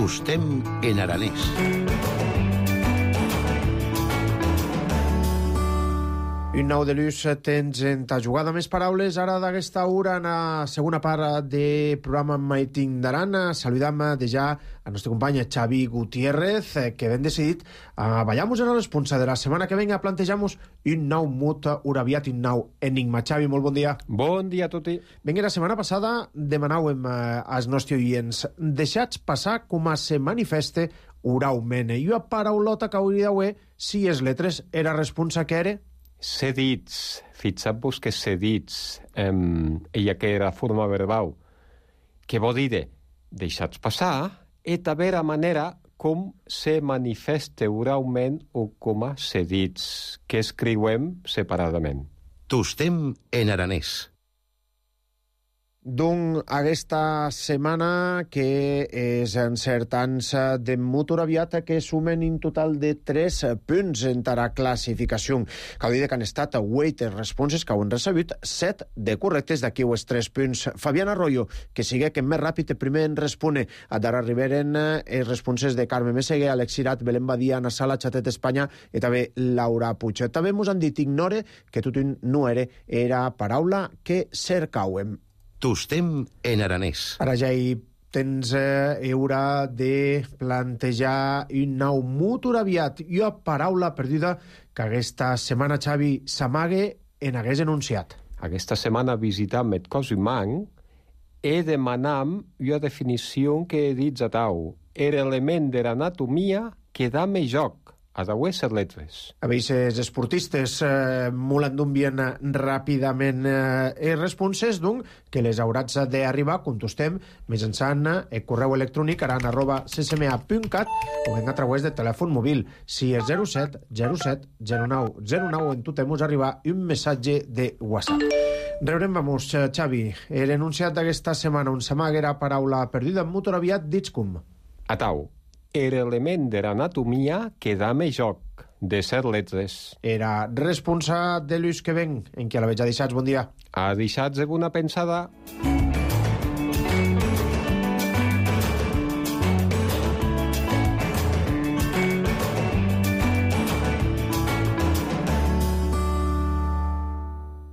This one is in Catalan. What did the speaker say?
Tostem en aranès. Un nou de l'ús tens en ta jugada més paraules ara d'aquesta hora en la segona part de programa Maiting d'Aran. Saludam ja al nostre company Xavi Gutiérrez, que ben decidit vayamos a la responsa de la setmana que venga, plantejamos un nou mut uraviat, un nou enigma. Xavi, molt bon dia. Bon dia a tutti. Vinga, la setmana passada demanàvem als nostres oients deixats passar com a se manifeste uraument. I una paraulota que hauria d'haver si les letres era responsa que era... Cedits, fixeu-vos que cedits, ella que era forma verbal, que vol dir deixats passar, i també la manera com se manifesta oralment o com a cedits, que escriuem separadament. Tostem en aranès. Doncs aquesta setmana que és encertants de mut uraviat que sumen en total de 3 punts en la classificació. Cal dir que han estat 8 responses que han recebut 7 de correctes d'aquí els 3 punts. Fabián Arroyo, que sigue que més ràpid primer en respone. A d'ara arribaren els responses de Carme Meseguer, Alex Cirat, Belén Badia, Ana Sala, Xatet Espanya i també Laura Puig. També ens han dit ignore que tot no era paraula que cercàvem. Tostem en aranès. Ara ja hi tens hora de plantejar un nou mut uraviat i una paraula perduda que aquesta setmana, Xavi, s'amague en hagués enunciat. Aquesta setmana visitam el cos humà i demanam una definició que he dit a tau. Era element de l'anatomia que da més joc a les letres. A veces esportistes molt endunvien ràpidament responses, doncs, que les hauràs d'arribar, contestem, mitjançant el correu electrònic aran@ccma.cat o ben a través de telèfon mòbil. Si és 07 07 09 09 en tot temps arribar un missatge de WhatsApp. Rebrem, vamos, Xavi, l'enunciat d'aquesta setmana on s'amaga la paraula perduda en mut uraviat dits com? A tau. Era element de l'anatomia que da més joc de ser letres. Era responsa de l'ús que ven, en què la veig a deixats. Bon dia. A deixats de bona pensada.